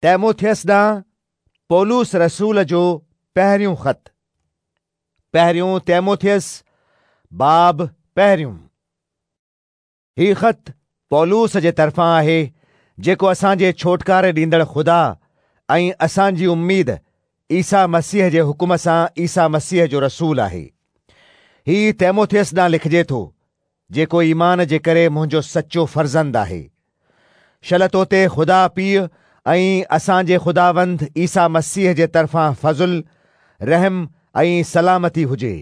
تيموٿيس ڏانهن پولس رسول جو پهريون خط. پهريون تيموٿيس باب پهريون. هي خط پولس جي طرفان آهي، جيڪو اسان جي ڇوٽڪاري ڏيندڙ خدا ۽ اسان جي اميد عيسيٰ مسيح جي حڪم سان عيسيٰ مسيح جو رسول آهي. هي تيموٿيس ڏانهن لکجي ٿو، جيڪو ايمان جي ڪري منهنجو سچو فرزند آهي. شل تو تي خدا پيء ۽ اسان جي خداوند عيسيٰ مسيح جي طرفان فضل، رحم ۽ سلامتي هجي.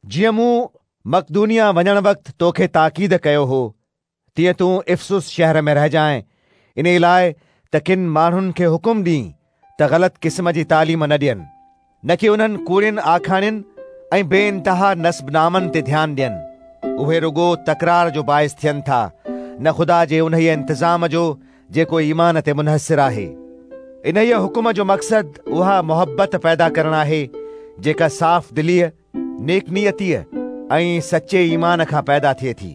جيئن مون مقدونيه وڃڻ وقت توکي تاڪيد ڪيو هو، تيئن تون افسس شهر ۾ رهجانء، انهيء لاء ته ڪن ماڻهن کي حڪم ڏين ته غلط قسم جي تعليم نه ڏين، نه ڪي انهن ڪوڙين آکاڻين ۽ بي انتها نسب نامن تي ڌيان ڏين. اهي رڳو تڪرار جو باعث ٿين ٿا، نه خدا جي انهيء انتظام جو جيڪو ايمان تي منحصر آهي. انهيء حڪم جو مقصد اها محبت پيدا ڪرڻ آهي، جيڪا صاف دليء، نيڪ نيتيء ۽ سچي ايمان کان پيدا ٿئي ٿي.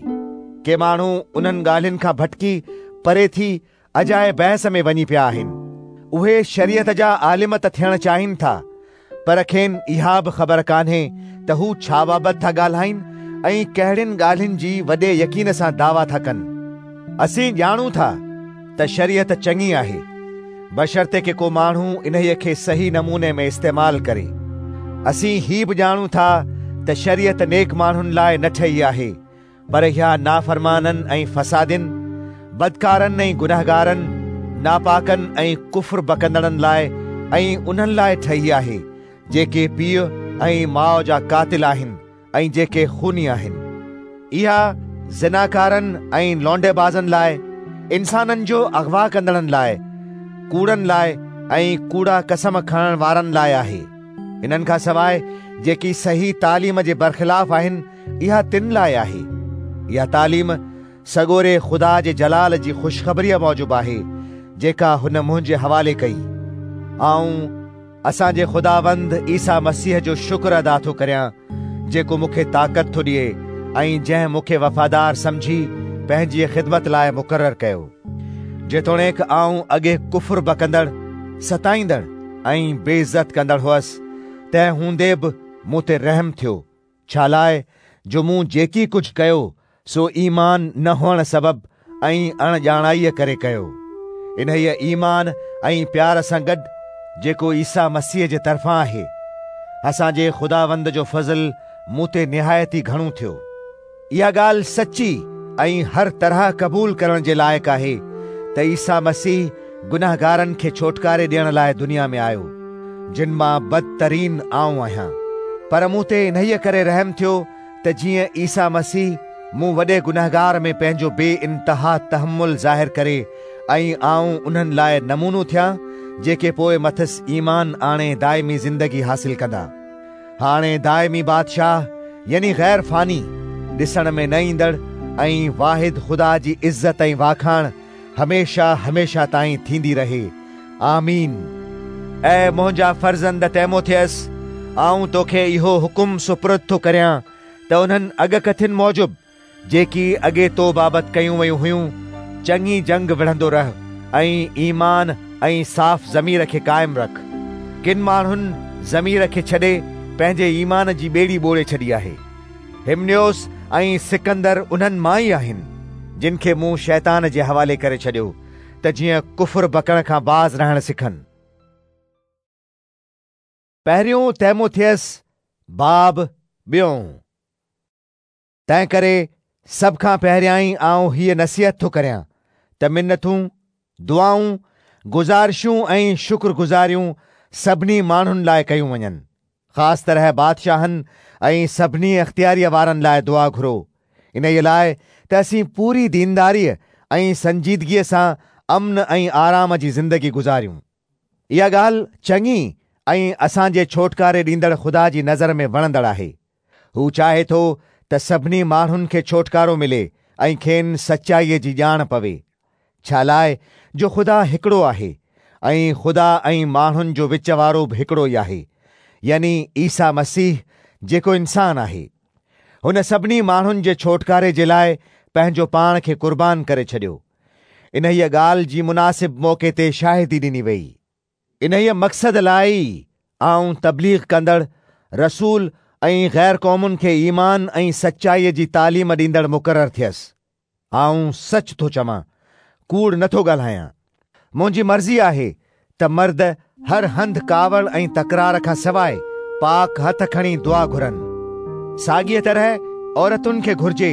ڪي ماڻهو انهن ڳالهين کان ڀٽڪي پري ٿي اجائي بحث ۾ وڃي پيا آهن. اهي شريعت جا عالم ته ٿيڻ چاهين ٿا، پر کين اها به خبر ڪانهي ته هو ڇا بابت ٿا ڳالهائين ۽ ڪهڙين ڳالهين جي وڏي يقين سان دعويٰ ٿا ڪن. اسين ڄاڻون ٿا ته شريعت چڱي آهي، بشرطيڪ ڪو ماڻهو انهيء کي صحيح نموني ۾ استعمال ڪري. اسين هي به ڄاڻون ٿا ته شريعت نيڪ ماڻهن لاء نه ٺهي آهي، پر اها نافرمانن ۽ فسادين، بدڪارن ۽ گنهگارن، ناپاڪن ۽ ڪفر بڪندڙن لاء ۽ انهن لاء ٺهي آهي، جيڪي پيء ۽ ماء جا قاتل آهن ۽ جيڪي خوني آهن. اها زناڪارن ۽ لونڊيبازن لاء، انسانن جو اغوا ڪندڙن لاء، ڪوڙن لاء ۽ ڪوڙا قسم کڻڻ وارن لاء آهي. انهن کان سواء جيڪي صحيح تعليم جي برخلاف آهن، اها تن لاء آهي. اها تعليم سڳوري خدا جي جلال جي خوشخبريء موجب آهي، جيڪا هن منهنجي حوالي ڪئي. آئون اسان جي خداوند عيسيٰ مسيح جو شڪر ادا ٿو ڪريان، جيڪو مون کي طاقت ٿو ڏئي ۽ جنهن مون کي وفادار سمجهي پنهنجيء خدمت لاء مقرر ڪيو. جيتوڻيڪ آئون اڳي ڪفر بڪندڙ، ستائيندڙ ۽ بي عزت ڪندڙ هئس، تنهن هوندي به مون تي رحم ٿيو، ڇالاء جو مون جيڪي ڪجهه ڪيو سو ايمان نه هئڻ سبب ۽ اڻ ڄاڻائيء ڪري ڪيو. انهيء ايمان ۽ پيار سان گڏ جيڪو عيسيٰ مسيح جي طرفان آهي، اسان جي خداوند جو فضل مون تي نهايت ئي گهڻو ٿيو. اها ڳالهه سچي ۽ هر طرح قبول ڪرڻ جي لائق آهي ته عيسيٰ مسيح گنهگارن کي ڇوٽڪاري ڏيڻ لاء دنيا ۾ آيو، جن مان بدترين آئون آهيان. پر مون تي انهيء ڪري رحم ٿيو ته جيئن عيسيٰ مسيح مون وڏي گنهگار ۾ پنهنجو بي انتها تحمل ظاهر ڪري ۽ آئون انهن لاء نمونو ٿيان، جيڪي پوء مٿس ايمان آڻي دائمي زندگي حاصل ڪندا. هاڻي دائمي بادشاهه يعني غير فاني، ڏسڻ ۾ نه ايندڙ ۽ واحد خدا جي عزت ۽ واکاڻ هميشه هميشه تائين ٿيندي رهي. آمين. اي منهنجا فرزند تيموٿيس، آئون توکي اهو حڪم سپرد ٿو ڪريان ته انهن اڳڪٿين موجب، جيڪي اڳي تو بابت ڪيون ويون هيون، چڱي جنگ وڙهندو رهه ۽ ايمان ۽ صاف ضمير کي قائم رک. ڪن ماڻهن ضمير کي ڇڏي پنهنجي ايمان جي ٻيڙي ٻوڙي ڇڏي آهي. همنيوس ۽ سڪندر انهن مان ئي آهن، جن کي مون شيطان جي حوالي ڪري ڇڏيو، ته جيئن ڪفر بڪڻ کان باز رهڻ سکن. پهريون تيموٿيس باب ٻيون. تنهنڪري سڀ کان پهريائين آئون هيء نصيحت ٿو ڪريان ته منٿون، دعائون، گذارشون ۽ شڪرگذاريون سڀني ماڻهن لاء ڪيون وڃن. خاص طرح بادشاهن ۽ سڀني اختياريء وارن لاء دعا گهرو، انهيء لاء ته اسين پوري دينداريء ۽ سنجيدگيء سان امن ۽ آرام جي زندگي گذاريون. اها ڳالهه چڱي ۽ اسان جي ڇوٽڪاري ڏيندڙ خدا جي نظر ۾ وڻندڙ آهي. هو چاهي ٿو ته سڀني ماڻهن کي ڇوٽڪارو ملي ۽ کين سچائيء جي ڄاڻ پوي. ڇالاء جو خدا هڪڙو آهي ۽ خدا ۽ ماڻهن جو وچ وارو به هڪڙو ئي آهي، يعني عيسيٰ مسيح جيڪو انسان آهي. هن سڀني ماڻهن جي ڇوٽڪاري جي لاء پنهنجو پاڻ کي قربان ڪري ڇڏيو. انهيء ڳالهه جي مناسب موقعي تي شاهدي ڏني ويئي. انهيء مقصد لاء ئي آئون تبليغ ڪندڙ، رسول ۽ غير قومن کي ايمان ۽ سچائيء جي تعليم ڏيندڙ مقرر ٿيس. آئون سچ ٿو چوان، ڪوڙ نه ٿو ڳالهايان. منهنجي مرضي آهي ته مرد هر هنڌ ڪاوڙ ۽ تڪرار کان سواء پاڪ هٿ کڻي دعا گهرن. ساڳيء طرح عورتن کي گهرجي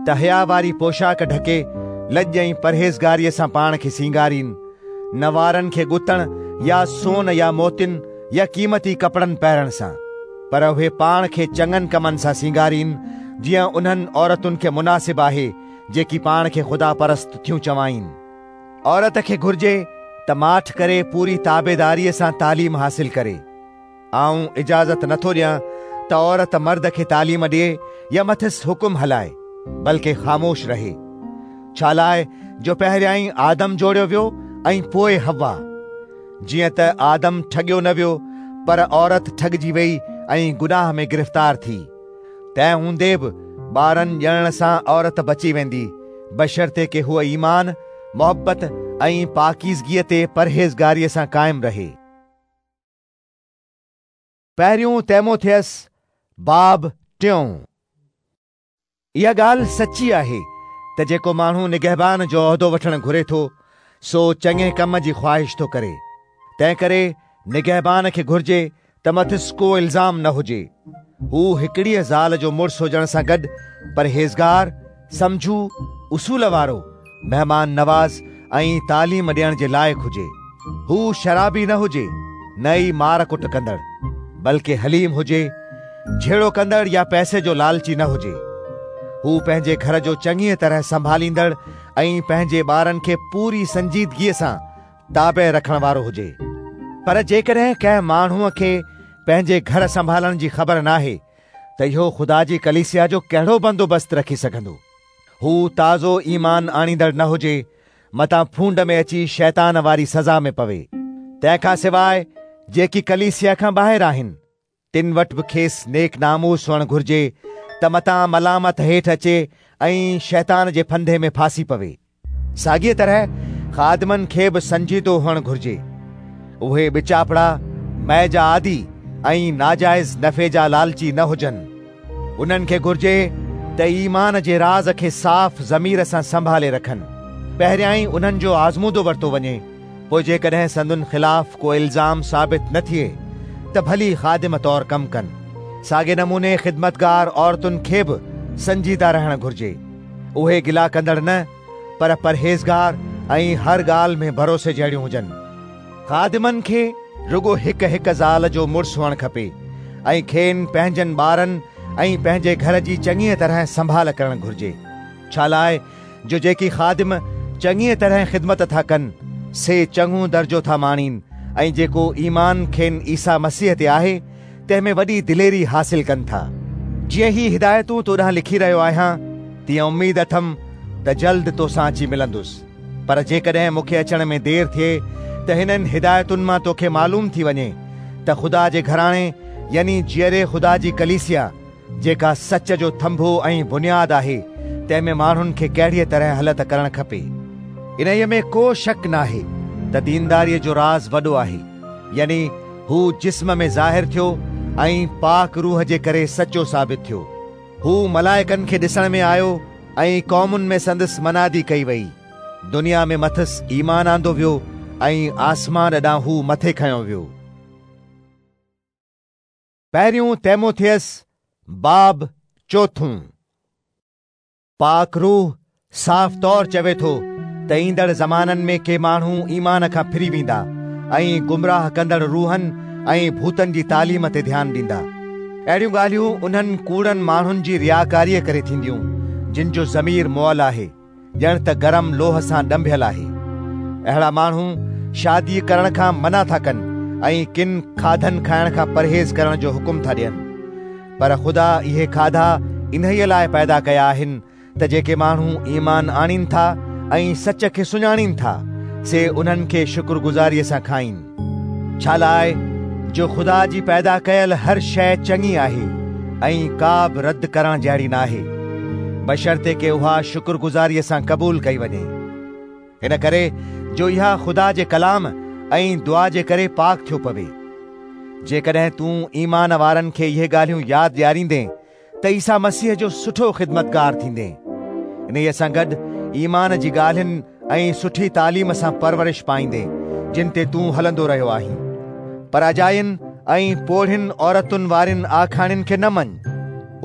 ته حيا واري پوشاڪ ڍڪي لڄ ۽ پرهيزگاريء سان پاڻ کي سينگارين، نه وارن کي ڳتڻ يا سون يا موتين يا قيمتي ڪپڙن پهرڻ سان، پر اهي پاڻ کي چڱن ڪمن سان سينگارين، جيئن انهن عورتن کي مناسب آهي، جيڪي پاڻ کي خدا پرست ٿيون چوائين. عورت کي گهرجي ته ماٺ ڪري پوري تابعداريء سان تعليم حاصل ڪري. آئون اجازت نٿو ڏيان ته عورت مرد کي تعليم ڏئي يا مٿس حڪم هلائي، بلڪه خاموش رهي. ڇالاء جو پهريائين آدم جوڙيو ويو ۽ پوء حوا. جيئن ته آدم ٺڳيو نه ويو، پر عورت ٺڳجي ويئي ۽ گناهه ۾ گرفتار ٿي. تنهن هوندي به ٻارن ڄڻڻ سان عورت بچي ويندي، بشرطيڪ هوء ايمان، محبت ۽ پاڪيزگيء تي پرهيزگاريء سان قائم رهي. پهريون تيموٿيس باب ٽيون. اها ڳالهه سچي آهي ته جيڪو ماڻهو نگهبان جو عهدو وٺڻ گهري ٿو، سو چڱي ڪم جي خواهش ٿو ڪري. تنهنڪري نگهبان کي گهرجي ته مٿس ڪو الزام نه هجي. هو هڪڙيء زال جو مڙس هجڻ سان گڏ پرهيزگار، سمجهو، اصول وارو، مهمان نواز ۽ تعليم ڏيڻ جي لائق هجي. هو شرابي نه هجي، نه ئي مار ڪٽ ڪندڙ، بلڪه حليم هجي، جهيڙو ڪندڙ يا پئسي جو لالچي نه هجي. هو پنهنجي گهر جو چڱيء طرح سنڀاليندڙ ۽ پنهنجي ٻارن کي پوري سنجيدگيء سان تابع رکڻ وارو هجي. پر جيڪڏهن ڪنهن ماڻهوء کي پنهنجي گهر سنڀالڻ جي خبر ناهي ته اهو خدا جي ڪليسيا جو ڪهڙو بندوبست رکي سگهندو؟ هو تازو ايمان آڻيندڙ نه هجي، متان ڦونڊ ۾ اچي شيطان واري سزا ۾ پوي. تنهن کان سواء جيڪي ڪليسيا کان ٻاهر آهن، تن وٽ به کيس نيڪ ناموس هئڻ گهرجي ته متان ملامت هيٺ اچي ۽ شيطان جي ڦندي ۾ ڦاسي پوي. ساڳيء طرح خادمن کي به سنجيدو هئڻ گهرجي. اهي ٻچاپڙا، مئي جا عادي ۽ ناجائز نفعي جا لالچي نه هجن. انهن کي گهرجي ته ايمان جي راز کي صاف ضمير سان سنڀالي رکن. پهريائين انهن جو آزمودو ورتو وڃي، پوء جيڪڏهن سندن خلاف ڪو الزام ثابت نه ٿئي ته ڀلي خادم طور ڪم ڪن. ساڳئي نموني خدمتگار عورتن کي به سنجيده رهڻ گهرجي. اهي گلا ڪندڙ نه، پر پرهيزگار ۽ هر ڳالهه ۾ ڀروسي جهڙيون هجن. خادمن کي رڳو هڪ هڪ زال جو مڙس هئڻ کپي ۽ کين پنهنجن ٻارن ۽ پنهنجي گهر جي چڱيء طرح سنڀال ڪرڻ گهرجي، ڇالاء جو جيڪي خادم چڱيء طرح خدمت ٿا ڪن، سي چڱو درجو ٿا ماڻين ۽ جيڪو ايمان کين عيسيٰ مسيح تي آهي، تنهن ۾ وڏي دليري حاصل ڪن ٿا. جيئن هي هدايتون تو ڏانهن لکي رهيو آهيان، تيئن اميد اٿم ته جلد توسان اچي ملندس. پر جيڪڏهن مون کي اچڻ ۾ دير ٿئي ته هنن هدايتن مان توکي معلوم ٿي وڃي ته خدا جي گهراڻي يعني جيئري خدا جي ڪليسيا، جيڪا سچ جو ٿنڀو ۽ بنياد آهي، تنهن ۾ ماڻهن کي ڪهڙيء طرح هلت ڪرڻ کپي. انهيء ۾ ڪو شڪ ناهي ته دينداريء جو راز وڏو آهي، يعني هو جسم ۾ ظاهر ٿيو ۽ پاڪ روح جي ڪري سچو ثابت ٿيو. هو ملائڪن کي ڏسڻ ۾ آيو ۽ قومن ۾ سندس منادي ڪئي وئي. دنيا ۾ مٿس ايمان آندو ويو ۽ آسمان ڏانهن هو مٿي کنيو ويو. پهريون تيموٿيس باب چوٿون. پاڪ روح صاف طور چوي ٿو ته ايندڙ زمانن ۾ ڪي ماڻهو ايمان کان ڦري ويندا ۽ گمراهه ڪندڙ روحن ۽ ڀوتن جي تعليم تي ڌيان ڏيندا. اهڙيون ڳالهيون انهن ڪوڙن ماڻهن جي رياڪاريء ڪري ٿينديون، جن جو ضمير مئل آهي، ڄڻ ته گرم لوهه سان ڏنڀيل آهي. اهڙا ماڻهو شادي ڪرڻ کان منع ٿا ڪن ۽ ڪن کاڌن کائڻ کان پرهيز ڪرڻ جو حڪم ٿا ڏين. پر خدا اهي کاڌا انهيء لاء پيدا ڪيا آهن ته جيڪي ماڻهو ايمان آڻين ٿا ۽ سچ کي سڃاڻين ٿا، سي انهن کي شڪرگذاريء سان کائين. ڇالاء جو خدا جي پيدا ڪيل هر شيء چڱي آهي ۽ ڪا به رد ڪرڻ جهڙي ناهي، بشرطيڪ اها شڪرگذاريء سان قبول ڪئي وڃي. هن ڪري جو اها خدا جي ڪلام ۽ دعا جي ڪري پاڪ ٿيو پوي. جيڪڏهن تون ايمان وارن کي اهي ڳالهيون ياد ڏياريندين ته عيسيٰ مسيح جو سٺو خدمتگار ٿيندين. انهيء سان گڏ ايمان جي ڳالهين ۽ سٺي تعليم سان پرورش پائيندين، جن تي تون هلندو رهيو آهين. پر اجاين ۽ پوڙهين عورتن وارين آکاڻين کي نه مڃ.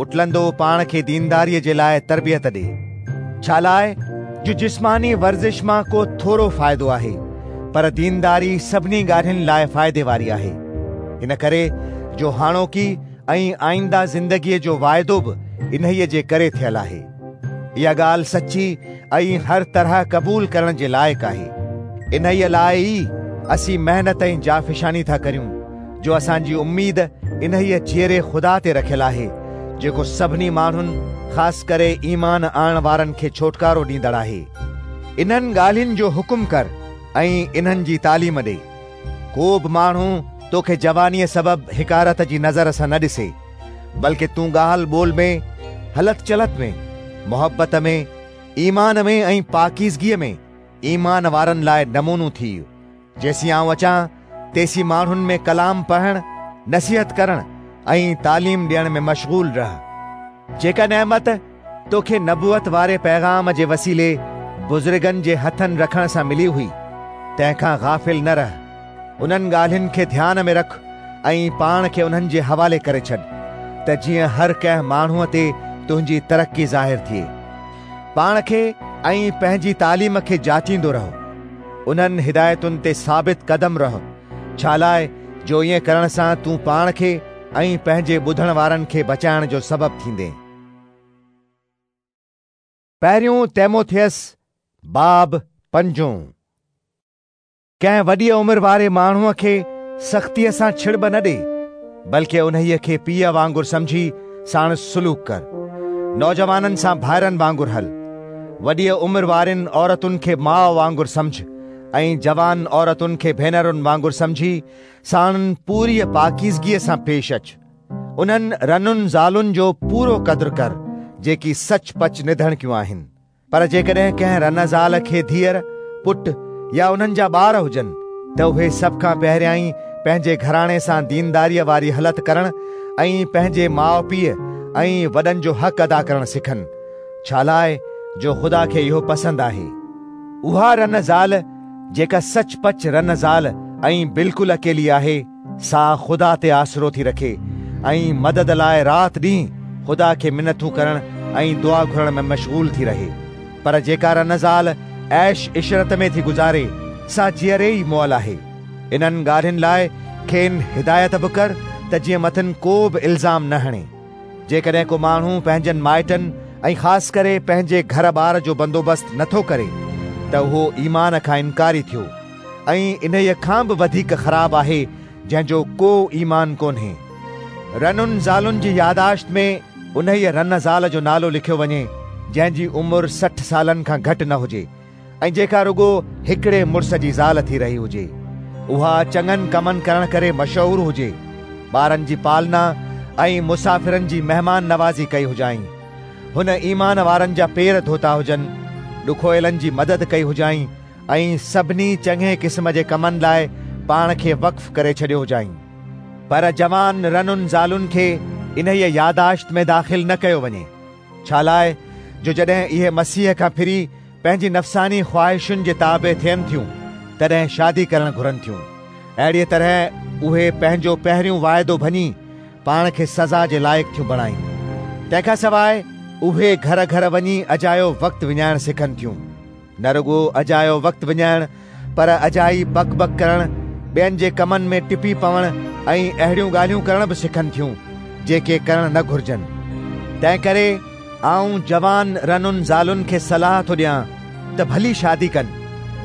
اٽلندو پاڻ کي دينداريء جي لاء تربيت ڏي. ڇالاء جو جسماني ورزش مان ڪو ٿورو فائدو آهي، پر دينداري سڀني ڳالهين لاء فائدي واري آهي. ان ڪري جو هاڻوڪي ۽ آئنده زندگيء جو واعدو به انهيء جي ڪري ٿيل آهي. اها ڳالهه سچي ۽ هر طرح قبول ڪرڻ جي لائق آهي. انهيء لاء ئي اسين محنت ۽ جافشاني ٿا ڪريون، جو اسان جي اميد انهيء جيئري خدا تي رکيل آهي، جيڪو سڀني ماڻهن، خاص ڪري ايمان آڻڻ وارن کي ڇوٽڪارو ڏيندڙ آهي. انهن ڳالهين جو حڪم ڪر ۽ انهن جي تعليم ڏي. ڪو به ماڻهو توکي جوانيء سبب حقارت جي نظر سان نه ڏسي، بلڪ تون ڳالهه ٻولهه ۾، هلت چلت ۾، محبت ۾، ايمان ۾ ۽ پاڪيزگيء ۾ ايمان وارن لاء نمونو ٿيء. جيسين آئون اچان، تيسين ماڻهن ۾ ڪلام پڙهڻ، نصيحت ڪرڻ ۽ تعليم ڏيڻ ۾ مشغول رهه. جيڪا نعمت توکي نبوت واري پيغام جي وسيلي بزرگن جي هٿن رکڻ سان ملي هئي، تنهن کان غافل نه رهه. انهن ڳالهين کي ڌيان ۾ رک ۽ پاڻ کي انهن جي حوالي ڪري ڇڏ، ته جيئن هر ڪنهن ماڻهوء تي تنهنجي ترقي ظاهر ٿئي. پاڻ کي ۽ پنهنجي تعليم کي جاچيندو رهه. انهن هدايتن تي ثابت قدم رهه، ڇالاء جو ائين ڪرڻ سان تون پاڻ کي ۽ پنهنجي ٻڌڻ وارن کي بچائڻ جو سبب ٿيندين. پهريون تيموٿيس باب پنجون. ڪنهن وڏيء عمر واري ماڻهوء کي سختيء سان ڇڙٻ نه ڏي، بلڪه انهيء کي پيء وانگر سمجهي ساڻس سلوڪ ڪر. نوجوانن سان ڀائرن وانگر هل. وڏيء عمر وارين عورتن کي ماء وانگر سمجهه ۽ جوان عورتن کي ڀينرن وانگر سمجهي ساڻن پوريء پاڪيزگيء سان پيش اچ. انهن رنن زالن جو پورو قدر ڪر، جيڪي سچ پچ نڌڻڪيون آهن. پر جيڪڏهن ڪنهن رن زال کي ڌيئر، پٽ يا انهن جا ٻار هجن، ته اهي سڀ کان پهريائين پنهنجي گهراڻي سان دينداريء واري هلت ڪرڻ ۽ پنهنجي ماء پيء ۽ وڏن جو حق ادا ڪرڻ سکن، ڇالاء جو خدا کي اهو پسند آهي. اها رن زال جيڪا سچ پچ رن زال ۽ بلڪل اڪيلي آهي، سا خدا تي آسرو ٿي رکي ۽ مدد لاء رات ڏينهن خدا کي منٿون ڪرڻ ۽ دعا گهرڻ ۾ مشغول ٿي رهي. پر جيڪا رن زال عيش عشرت ۾ ٿي گذاري، سا جيئري ئي مئل آهي. انهن ڳالهين لاء کين هدايت به ڪر ته جيئن مٿن ڪو به الزام نه هڻي. جيڪڏهن ڪو ماڻهو پنهنجن مائٽن ۽ خاص ڪري پنهنجي گهر ٻار جو بندوبست نٿو ڪري ته اهو ايمان کان انڪاري ٿيو ۽ انهيء کان به وڌيڪ خراب آهي جنهن جو ڪو ايمان ڪونهي. رنن زالن جي ياداشت ۾ انهيء رن زال جو نالو لکيو وڃي جنهن جي عمر 60 سالن کان گهٽ نه هجي ۽ جيڪا رڳو هڪڙي مڙس جي زال ٿي رهي هجي، اها چڱن ڪمن ڪرڻ ڪري مشهور هجي، ٻارن جي پالنا ۽ مسافرن جي مهمان نوازي ڪئي هجائين، هن ايمان وارن جا پير ڌوتا هجن، ڏکويلن جي مدد ڪئي هجائين ۽ سڀني چڱي قسم جي ڪمن لاء پاڻ کي وقف ڪري ڇڏيو هجائين. پر جوان رنن زالن کي انهيء ياداشت ۾ داخل نه ڪيو وڃي. ڇالاء جو جڏهن اهي مسيح کان ڦري پنهنجي نفساني خواهشن جي تابع ٿين ٿيون، تڏهن شادي ڪرڻ گهرن ٿيون. اهڙيء طرح اهي پنهنجو پهريون واعدو ڀڃي پاڻ کي سزا جي لائق ٿيون بڻائين. تنهن کان سواء اهي گهر گهر وڃي اجايو وقت وڃائڻ سکن ٿيون. نه رڳو اجايو وقت وڃائڻ پر اجائي بڪ بڪ ڪرڻ، ٻين جي ڪمن ۾ ٽپي پوڻ ۽ اهڙيون ڳالهيون ڪرڻ به سکن ٿيون، جيڪي ڪرڻ نه گهرجن. تنهنڪري آئون جوان رنن زالن کي صلاح ٿو ڏيان ته ڀلي شادي ڪن،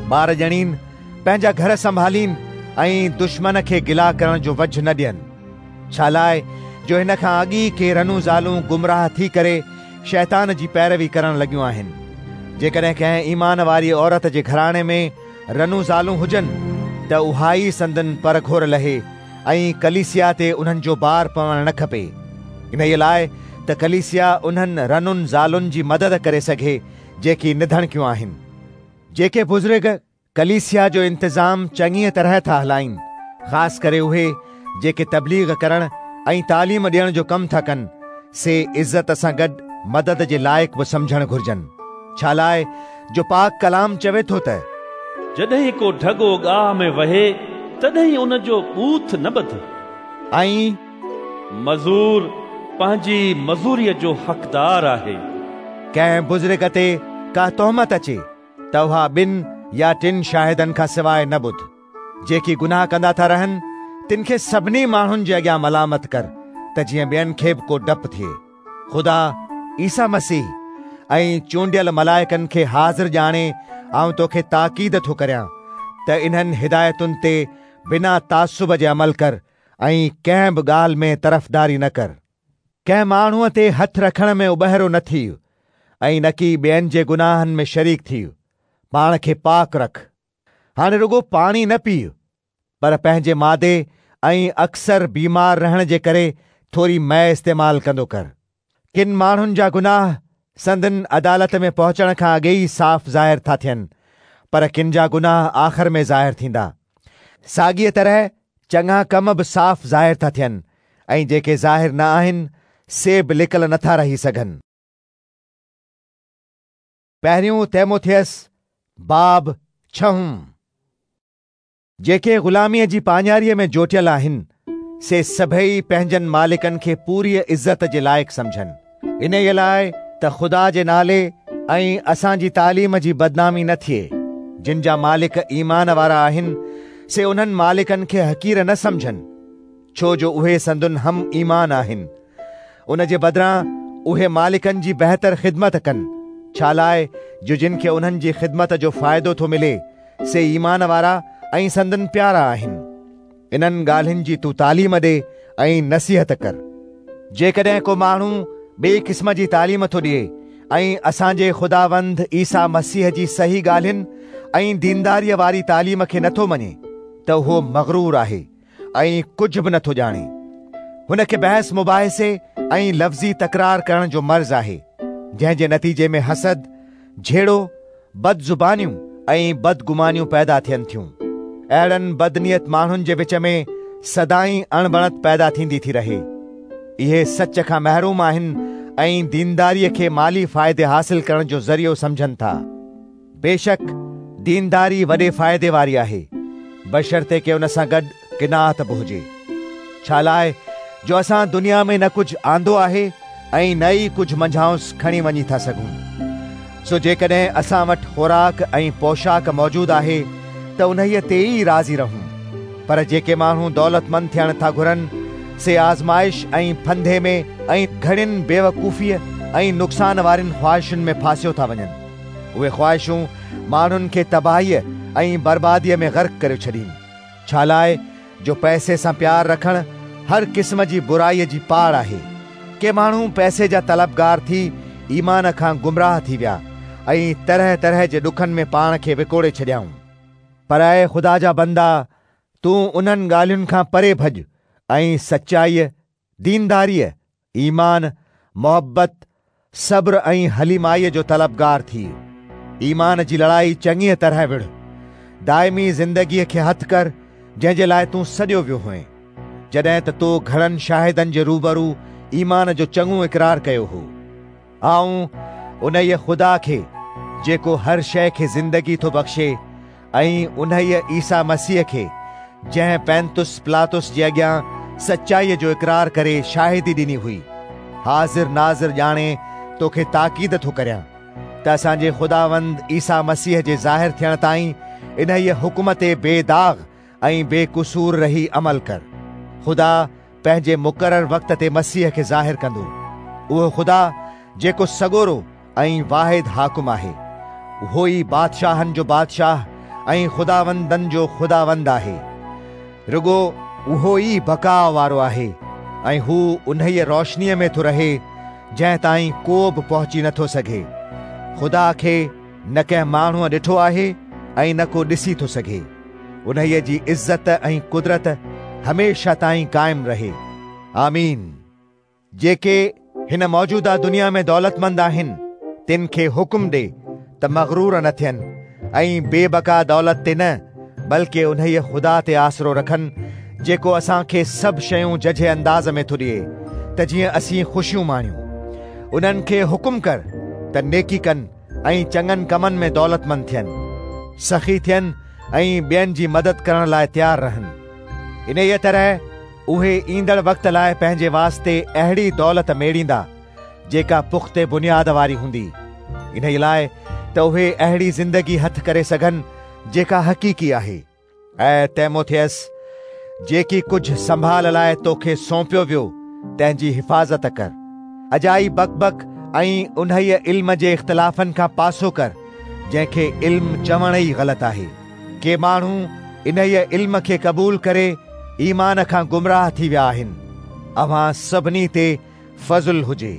ٻار ڄڻين، پنهنجا گهر سنڀالين ۽ دشمن کي گلا ڪرڻ جو وجهه نه ڏين. ڇالاء جو هن کان اڳ ئي ڪي رنون زالون گمراهه ٿي ڪري شيطان جي پيروي ڪرڻ لڳيون آهن. جيڪڏهن ڪنهن ايمان واري عورت جي گهراڻي ۾ رنون زالون هجن ته اها ئي سندن پرگهور لهي ۽ ڪليسيا تي انهن جو بار پوڻ نه کپي. انهيء لاء ته ڪليسيا انهن رنن زالن جي مدد ڪري سگهي جيڪي نڌڻڪيون آهن. جيڪي بزرگ ڪليسيا جو انتظام چڱيء طرح ٿا هلائين، خاص ڪري اهي جيڪي تبليغ ڪرڻ ۽ تعليم ڏيڻ جو ڪم ٿا ڪن، سي عزت سان گڏ مدد جي لائق به سمجهڻ گهرجن. ڇالاء جو پاڪ ڪلام چوي ٿو ته. جڏهن ڪو ڍڳو گاهه ۾ وهي، تڏهن ان جو ٻوٿ نه ٻڌ. ۽. مزور پنهنجي مزوريء جو حقدار آهي. ڪنهن بزرگ تي ڪا تهمت اچي ته اها ٻن يا ٽن شاهدن کان سواء نه ٻڌ. جيڪي گناهه ڪندا ٿا رهن، تن کي سڀني ماڻهن جي اڳيان ملامت ڪر ته جيئن ٻين کي به ڪو ڊپ ٿئي. خدا، عيسيٰ مسيح ۽ چونڊيل ملائڪن کي حاضر ڄاڻي آئون توکي تاڪيد ٿو ڪريان ته انهن هدايتن تي بنا تعصب جي عمل ڪر ۽ ڪنهن به ڳالهه ۾ طرفداري نه ڪر. ڪنهن ماڻهوء تي هٿ رکڻ ۾ اٻهرو نه ٿيء ۽ نڪي ٻين جي گناهن ۾ شريڪ ٿيء. پاڻ کي پاڪ رک. هاڻي رڳو پاڻي نه پيء، پر پنهنجي مادي ۽ اڪثر بيمار رهڻ جي ڪري ٿوري مئي استعمال ڪندو ڪر. ڪن ماڻهن جا گناهه سندن عدالت ۾ پهچڻ کان اڳي ئي صاف ظاهر ٿا ٿين، پر ڪن جا گناهه آخر ۾ ظاهر ٿيندا. ساڳيء طرح چڱا ڪم به صاف ظاهر ٿا ٿين ۽ جيڪي ظاهر نه آهن، سي به لڪل نٿا رهي سگهن. پهريون تيموٿيس باب ڇهون. جيڪي غلاميء جي پاڃاريء ۾ جوٽيل آهن، سي سڀيئي پنهنجن مالڪن کي پوريء عزت جي لائق سمجهن، انهيء لاء ته خدا جي نالي ۽ اسان جي تعليم جي بدنامي نه ٿئي. جن جا مالڪ ايمان وارا آهن، سي انهن مالڪن کي حقير نه سمجهن، ڇو جو اهي سندن هم ايمان آهن. ان جي بدران اهي مالڪن جي بهتر خدمت ڪن، ڇالاء جو جن کي انهن جي خدمت جو فائدو ٿو ملي، سي ايمان وارا ۽ سندن پيارا آهن. انهن ڳالهين جي تون تعليم ڏي ۽ نصيحت ڪر. جيڪڏهن ڪو ماڻهو ٻئي قسم جي تعليم ٿو ڏئي ۽ اسان جي خداوند عيسيٰ مسيح جي صحيح ڳالهين ۽ دينداريء واري تعليم کي نٿو مڃي ته اهو مغرور آهي ۽ ڪجهه به نٿو ڄاڻي. هن کي بحث مباحثي ۽ لفظي تڪرار ڪرڻ جو مرض آهي، جنهن جي نتيجي ۾ حسد، جهيڙو، بدزبانيون ۽ بدگمانيون پيدا ٿين ٿيون. اهڙن بدنيت ماڻهن جي وچ ۾ سدائين اڻبڻت پيدا ٿيندي ٿي رهي. اهي سچ کان محروم آهن ۽ دينداريء کي مالي فائدي حاصل ڪرڻ جو ذريعو سمجهن ٿا. بيشڪ دينداري وڏي فائدي واري آهي، بشرطيڪ ان سان گڏ قناعت به هجي. ڇالاء جو اسان دنيا ۾ نه ڪجهه آندو آهي ۽ نه ئي ڪجهه منجهائنس کڻي وڃي ٿا سگهون. سو جيڪڏهن اسان وٽ خوراڪ ۽ پوشاڪ موجود آهي ته انهيء تي ئي راضي رهون. پر جيڪي ماڻهو دولتمند ٿيڻ ٿا گهرن، سي آزمائش ۽ ڦندي ۾ ۽ گهڻين بيوقوفيء ۽ نقصان وارين خواهشن ۾ ڦاسيو ٿا وڃن. اهي خواهشون ماڻهن کي تباهيء ۽ برباديء ۾ غرق ڪريو ڇڏين. ڇالاء جو پئسي سان پيار رکڻ هر قسم جي برائيء جي پاڙ آهي. ڪي ماڻهو پئسي جا طلبگار ٿي ايمان کان گمراهه ٿي ويا ۽ طرح طرح جي ڏکن ۾ پاڻ کي وڪوڙي ڇڏيائون. پر اي خدا جا بندا، تون انهن ڳالهين کان پري ڀڄ ۽ سچائيء، دينداريء، ايمان، محبت، صبر ۽ حليمائيء جو طلبگار ٿيء. ايمان جي لڙائي چڱيء طرح وڙهه. دائمي زندگيء کي هٿ ڪر، جنهن جي لاء تون سڏيو ويو هئين، جڏهن ته تو گهڻن شاهدن جي روبرو ايمان جو چڱو اقرار ڪيو هو. آئون انهيء خدا کي، جيڪو هر شيء کي زندگي ٿو بخشي ۽ انهيء عيسيٰ مسيح کي، جنهن پينتس پلاطس جي اڳيان سچائيء جو اقرار ڪري شاهدي ڏني هئي، حاضر ناظر ڄاڻي توکي تاڪيد ٿو ڪريان ته اسان جي خداوند عيسيٰ مسيح جي ظاهر ٿيڻ تائين انهيء حڪم تي بي داغ ۽ بي قصور رهي عمل ڪر. خدا پنهنجي مقرر وقت تي مسيح کي ظاهر ڪندو. اهو خدا جيڪو سڳورو ۽ واحد حاڪم آهي، اهو ئي بادشاهن جو بادشاهه ۽ خداوندن جو خداوند آهي. رڳو اهو ئي بقاء وارو آهي ۽ هو انهيء روشنيء ۾ ٿو رهي، جنهن تائين ڪو به پهچي نٿو سگهي. خدا کي نه ڪنهن ماڻهوء ڏٺو آهي ۽ نه ڪو ڏسي ٿو سگهي. انهيء جي عزت ۽ قدرت هميشه تائين قائم رهي. آمين. جيڪي هن موجوده دنيا ۾ دولتمند آهن، تن کي حڪم ڏي ته مغرور نه ٿين ۽ بي بقا دولت تي نه، بلڪ انهيء خدا تي آسرو رکن، جيڪو اسان کي سڀ شيون ججهي انداز ۾ ٿو ڏئي، ته جيئن اسين خوشيون ماڻيون. انهن کي حڪم ڪر ته نيڪي ڪن ۽ چڱن ڪمن ۾ دولتمند ٿين، سخي ٿين ۽ ٻين جي مدد ڪرڻ لاء تيار رهن. انهيء طرح اهي ايندڙ وقت لاء پنهنجي واسطي اهڙي دولت ميڙيندا، جيڪا پختي بنياد واري هوندي، انهيء لاء ته اهي اهڙي زندگي هٿ ڪري سگهن جيڪا حقيقي آهي. اي تيموٿيس، جيڪي ڪجهه سنڀال لاء توکي سونپيو ويو، تنهن جي حفاظت ڪر. اجائي بڪ بڪ ۽ انهيء علم جي اختلافن کان پاسو ڪر، جنهن کي علم چوڻ ئي غلط آهي. ڪي ماڻهو انهيء علم کي قبول ڪري ايمان کان گمراهه ٿي ويا آهن. اوهان سڀني تي فضل هجي.